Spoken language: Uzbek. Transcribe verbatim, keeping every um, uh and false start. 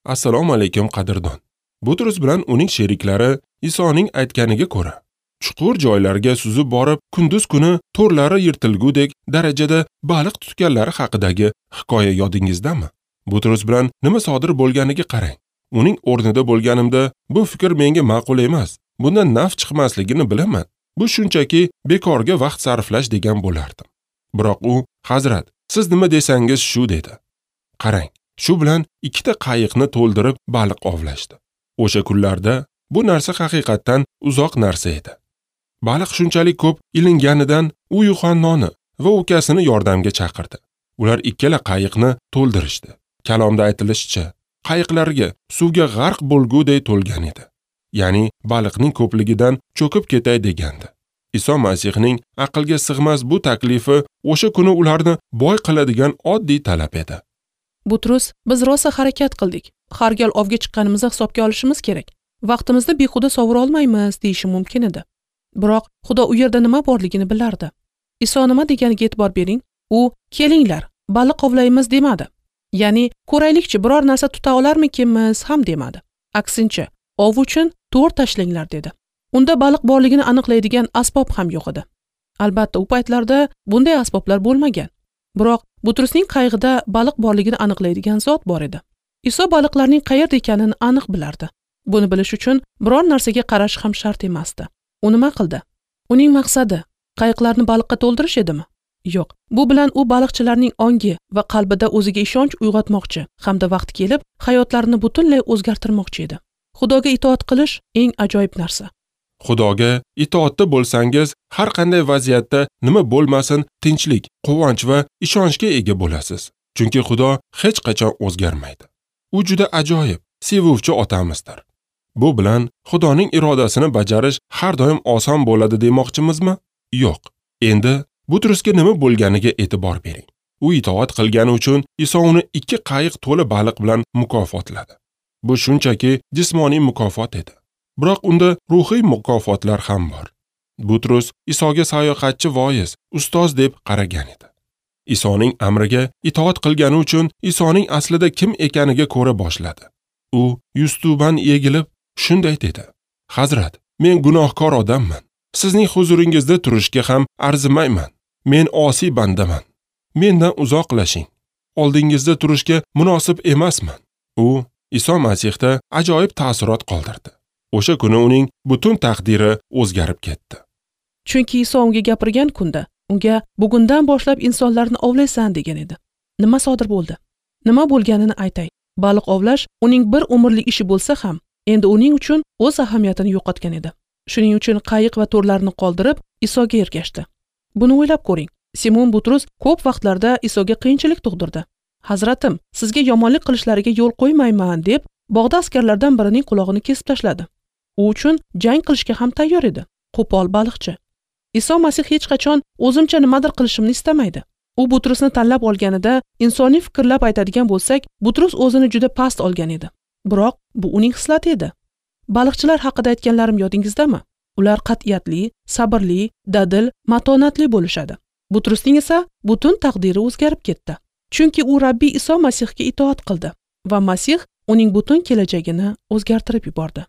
Assalomu alaykum qadrdon. Butrus bilan uning sheriklari Isoning aytganiga ko'ra, chuqur joylarga suzib borib, kunduz kuni to'rlari yirtilgudek darajada baliq tutganlari haqidagi hikoya yodingizdami? Butrus bilan nima sodir bo'lganiga qarang. Uning o'rnida bo'lganimda bu fikr menga ma'qul emas. Bundan naf chiqmasligini bilaman. Bu shunchaki bekorga vaqt sarflash degan bo'lardim. Biroq u, "Hazrat, siz nima desangiz shu" dedi. Qarang, shu bilan ikkita qayiqni to'ldirib baliq ovlashdi. O'sha kunlarda bu narsa haqiqatdan uzoq narsa edi. Baliq shunchalik ko'p ilinganidan u Yuhannoni va ukasini yordamga chaqirdi. Ular ikkala qayiqni to'ldirishdi. Kalomda aytilishicha, qayiqlarga suvga g'arq bo'lguday to'lgan edi. Ya'ni baliqning ko'pligidan cho'kib ketay degandi. Iso Masihning aqlga sig'mas bu taklifi o'sha kuni ularni boy qiladigan oddiy talab edi. Butrus, biz rosa harakat qildik. Har gal ovga chiqqanimizni hisobga olishimiz kerak. Vaqtimizni behuda sovura olmaymiz deyishi mumkin edi. Biroq Xudo u yerda nima borligini bilardi. Iso nima deganiga e'tibor bering. U "Kelinglar, baliq ovlaymiz" demadi. Ya'ni ko'raylikchi biror narsa tuta olarmikinmiz ham demadi. Aksincha, ov uchun to'r tashlanglar dedi. Unda baliq borligini aniqlaydigan asbob ham yo'q edi. Albatta, u paytlarda bunday asboblar bo'lmagan. Biroq Butrusning qayig'ida baliq borligini aniqlaydigan zot bor edi. Iso baliqlarning qayerda ekanini aniq bilardi. Buni bilish uchun biror narsaga qarash ham shart emasdi. U nima qildi? Uning maqsadi qayiqlarni baliqqa to'ldirish edimi? Yo'q. Bu bilan u baliqchilarning ongi va qalbida o'ziga ishonch uyg'otmoqchi hamda vaqt kelib hayotlarini butunlay o'zgartirmoqchi edi. Xudoga itoat qilish eng ajoyib narsa. Xudoga itoatda bo'lsangiz, har qanday vaziyatda nima bo'lmasin, tinchlik, quvonch va ishonchga ega bo'lasiz. Chunki Xudo hech qachon o'zgarmaydi. U juda ajoyib, sevuvchi otamizdir. Bu bilan Xudoning irodasini bajarish har doim oson bo'ladi demoqchimizmi? Yo'q. Endi Butrusga nima bo'lganiga e'tibor bering. U itoat qilgani uchun Iso uni ikki qayiq to'la baliq bilan mukofotladi. Bu shunchaki jismoniy mukofot edi. Biroq unda ruhiy mukofotlar ham bor. Butrus Isoga sayohatchi voiz, ustoz deb qaragan edi. Isoning amriga itoat qilgani uchun Isoning aslida kim ekaniga ko'ra boshladi. U yuztuban egilib shunday dedi: "Hazrat, men gunohkor odamman. Sizning huzuringizda turishga ham arzimayman. Men osiy bandaman. Mendan uzoqlashing. Oldingizda turishga munosib emasman." U Iso Masihda ajoyib ta'sirot qoldirdi. O'sha kuni uning butun taqdiri o'zgarib ketdi. Chunki Iso unga gapirgan kunda unga bugundan boshlab insonlarni ovlaysan degan edi. Nima sodir bo'ldi? Nima bo'lganini aytay. Baliq ovlash uning bir umrlik ishi bo'lsa ham, endi uning uchun o'z ahamiyatini yo'qotgan edi. Shuning uchun qayiq va to'rlarni qoldirib Isoga ergashdi. Buni o'ylab ko'ring. Simon Butrus ko'p vaqtlarda Isoga qiyinchilik tug'dirdi. "Hazratim, sizga yomonlik qilishlariga yo'l qo'ymayman" deb bog'da askarlardan birining qulog'ini kesib tashladi. U uchun jang qilishga ham tayyor edi. Qo'pol baliqchi. Iso Masih hech qachon o'zimcha nimadir qilishimni istamaydi. U Butrusni tanlab olganida insoniy fikrlab aytadigan bo'lsak, Butrus o'zini juda past olgan edi. Biroq bu uning xislati edi. Baliqchilar haqida aytganlarim yodingizdami? Ular qat'iyatli, sabrli, dadil, matonatli bo'lishadi. Butrusning esa butun taqdiri o'zgarib ketdi. Chunki u Rabbiy Iso Masihga itoat qildi va Masih uning butun kelajagini o'zgartirib yubordi.